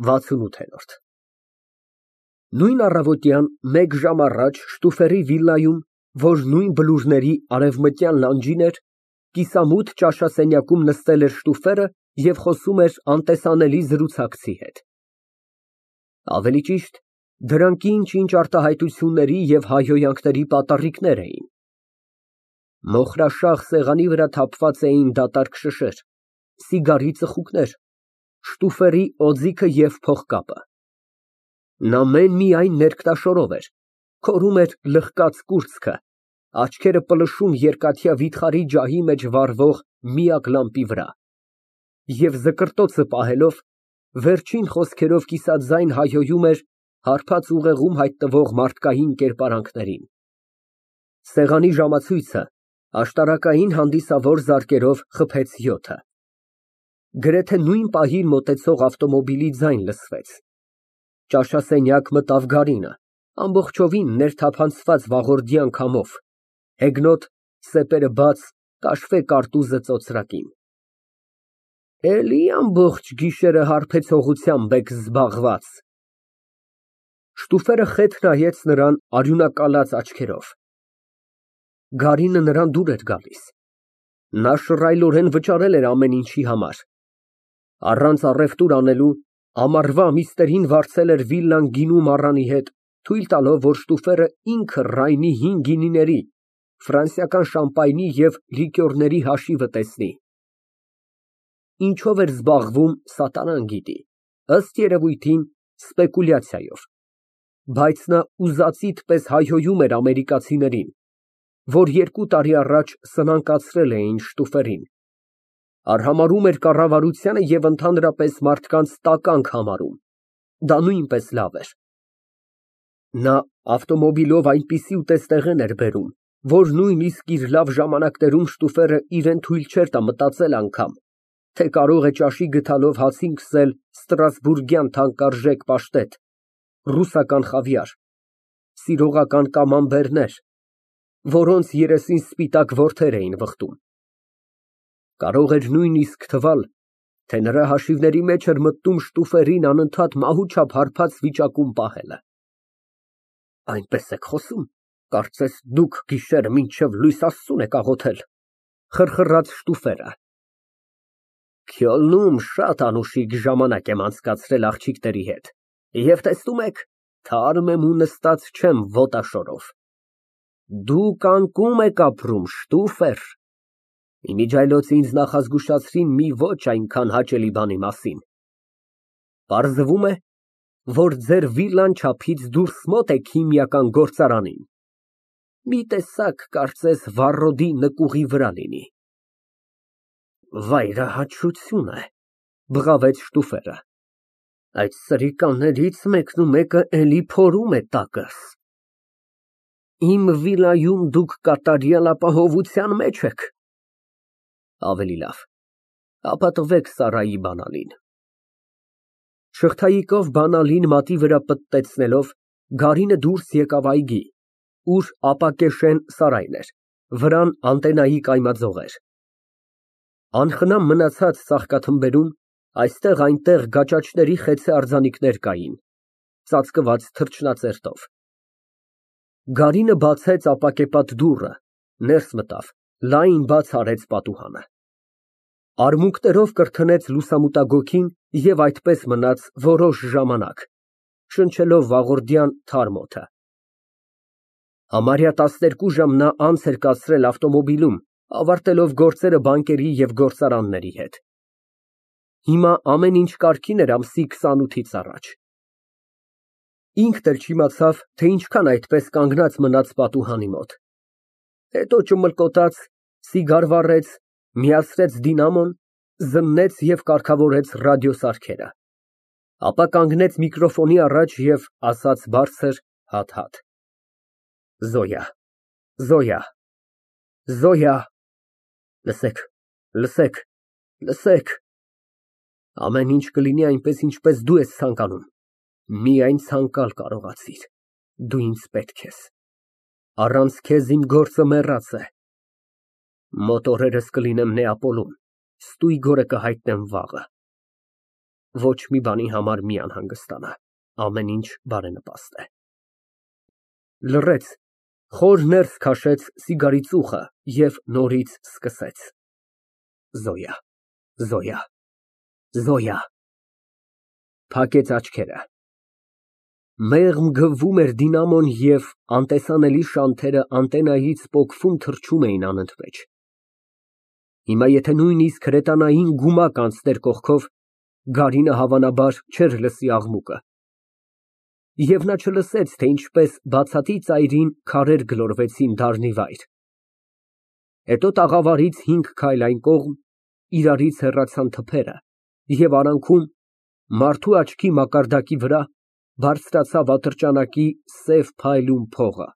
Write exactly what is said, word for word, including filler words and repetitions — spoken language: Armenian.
վաթսունութ։ Նույն առավոտյան մեկ ժամ առաջ Շտուֆերի վիլայում, որ նույն բլուրների արևմտյան լանջին էր, կիսամութ ճաշասենյակում նստել էր Շտուֆերը և խոսում էր անտեսանելի զրուցակցի հետ, ավելի ճիշտ, դրանք ինչ֊ինչ արտահայտությունների և հայհոյանքների պատառիկներ էին։ Մոխրաշաղ սեղանի վրա թափված էին դատարկ շշեր, սիգարի ծխուկներ, Շտուֆերի օձիքը և փողկապը։ Նա մեն֊միայն ներքնաշորով էր, քորում էր լղկած կուրծքը, աչքերը պլշում երկաթյա վիթխարի ջահի մեջ վառվող միակ լամպի վրա և զկրտոցը պահելով, վերջին խոսքերով կիսաձայն հայհոյում էր հարբած ուղեղում հայտնվող մարդկային կերպարանքներին։ Սեղանի ժամացույցը աշտարակային հանդիսավոր զարկերով խփեց յոթը։ Գրեթե նույն պահին մոտեցող ավտոմոբիլի ձայն լսվեց։ Ճաշասենյակ մտավ Գարինը, ամբողջովին ներթափանցված վաղորդյան քամով, հեգնոտ, սեպերը բաց, կաշվե կարտուզը ծոծրակին։ Էլի ամբողջ գիշերը հարբեցողությամբ եք զբաղված։ Շտուֆերը խեթ նայեց նրան արյունակալած աչքերով։ Գարինը նրան դուր էր գալիս։ Նա շռայլորեն վճարել էր ամեն ինչի համար։ Առանց առևտուր անելու, ամառվա ամիսներին վարձել էր վիլլան գինու մառանի հետ, թույլ տալով, որ Շտուֆերը ինքը Ռայնի հին գինիների, ֆրանսիական շամպայնի և լիկյորների հաշիվը տեսնի։ Ինչով էր զբաղվում, սատանան գիտի, ըստ երևույթին, սպեկուլյացիայով, բայց նա ուզածիդ պես հայհոյում էր ամերիկացիներին, որ երկու տարի առաջ սնանկացրել էին Շտուֆերին, արհամարհում էր կառավարությանը և ընդհանրապես մարդկանց տականք համարում, դա նույնպես լավ էր։ Նա ավտոմոբիլով այնպիսի ուտեստեղեն էր բերում, որ նույնիսկ իր լավ ժամանակներում Շտուֆերը իրան թույլ չէր տա մտածել անգամ, թե կարող է ճաշի գդալով հացին քսել ստրասբուրգյան թանկարժեք պաշտետ, ռուսական խավիար, սիրողական կամամբերներ, որոնց երեսին սպիտակ որդեր էին վխտում։ Կարող էր նույնիսկ թվալ, թե նրա հաշիվների մեջ էր մտնում Շտուֆերին անընդհատ մահու չափ հարբած վիճակում պահելը։ Այնպես եք խոսում, կարծես դուք գիշերը մինչև լույս Աստծուն եք աղոթել, խռխռաց Շտուֆերը։ Քյոլնում շատ անուշիկ ժամանակ եմ անցկացրել աղջիկների հետ և տեսնում եք, թարմ եմ ու նստած չեմ ոտաշորով։ Դուք անկում եք ապրում, Շտուֆեր, իմիջիայլոց ինձ նախազգուշացրին մի ոչ այնքան հաճելի բանի մասին։ Պարզվում է, որ ձեր վիլլան չափից դուրս մոտ է քիմիական գործարանին, մի տեսակ, կարծես Վառոդի նկուղի վրա լինի։ Վայրահաճություն է, բղավեց Շտուֆերը, այդ սրիկաներից մեկնումեկը էլի փորում է տակս։ Իմ վիլայում դուք կատարյալ ապահովության մեջ եք։ Ավելի լավ, ապա տվեք Սարայի բանալին։ Շղթայիկով բանալին մատի վրա պտտեցնելով, Գարինը դուրս եկավ այգի, ուր ապակեշեն սարայր էր, վրան անտենայի կայմաձողեր։ Անխնամ մնացած ծաղկաթմբերում այստեղ֊այնտեղ գաճաճների խեցե արձանիկներ կային, ծածկված թռչնածերտով։ Գարինը բացեց ապակեպատ դուռը, ներս մտավ, լայն բաց արեց պատուհանը։ Արմունկներով կրթնեց լուսամուտագոգին և այդպես մնաց որոշ ժամանակ, շնչելով վաղորդյան թարմ օդը։ Համարյա տասներկու ժամ նա անց էր կացրել ավտոմոբիլում, ավարտելով գործերը բանկերի և գործարանների հետ։ Հիմա ամեն ինչ կարգին էր ամսի քսանութից առաջ։ Ինքն էլ չիմացավ, թե ինչքան այդպես կանգնած մնաց պատուհանի մոտ։ Հետո ճմլկոտաց, սիգար վառեց, միացրեց դինամոն, զննեց և կարգավորեց ռադիոսարքերը, ապա կանգնեց միկրոֆոնի առաջ և ասաց բարձր, հատ֊հատ. Զոյա, Զոյա, Զոյա, լսեք, լսեք, լսեք, ամեն ինչ կլինի այնպես, ինչպես դու ես ցանկանում, միայն ցանկալ կարողացիր, դու ինձ պետք ես, առանց քեզ իմ գործը մեռած է, մոտ օրերս կլինեմ Նեապոլում, ստույգորը կհայտնեմ վաղը։ Ոչ մի բանի համար մի անհանգստանա, ամեն ինչ բարենպաստ է։ Լռեց, խոր ներս քաշեց սիգարի ծուխը և նորից սկսեց. Զոյա, Զոյա, Զոյա… Փակեց աչքերը։ Մեղմ գվվում էր դինամոն և անտեսանելի շանթերը անտենայից պոկվում թռչում էին անընդմեջ։ Հիմա եթե նույնիսկ հրետանային գումակ անցներ կողքով, գարինը հավանաբար չէր լսի աղմուկը։ Եվ նա չլսեց, թե ինչպես բացատի ծայրին քարեր գլորվեցին դառնիվայր։ Հետո տաղավարից հինգ քայլ այն կողմ, իրարից հեռացան թփերը, և արանքում, մարդու աչքի մակարդակի վրա, բարձրացավ ատրճանակի սև փայլուն փողը։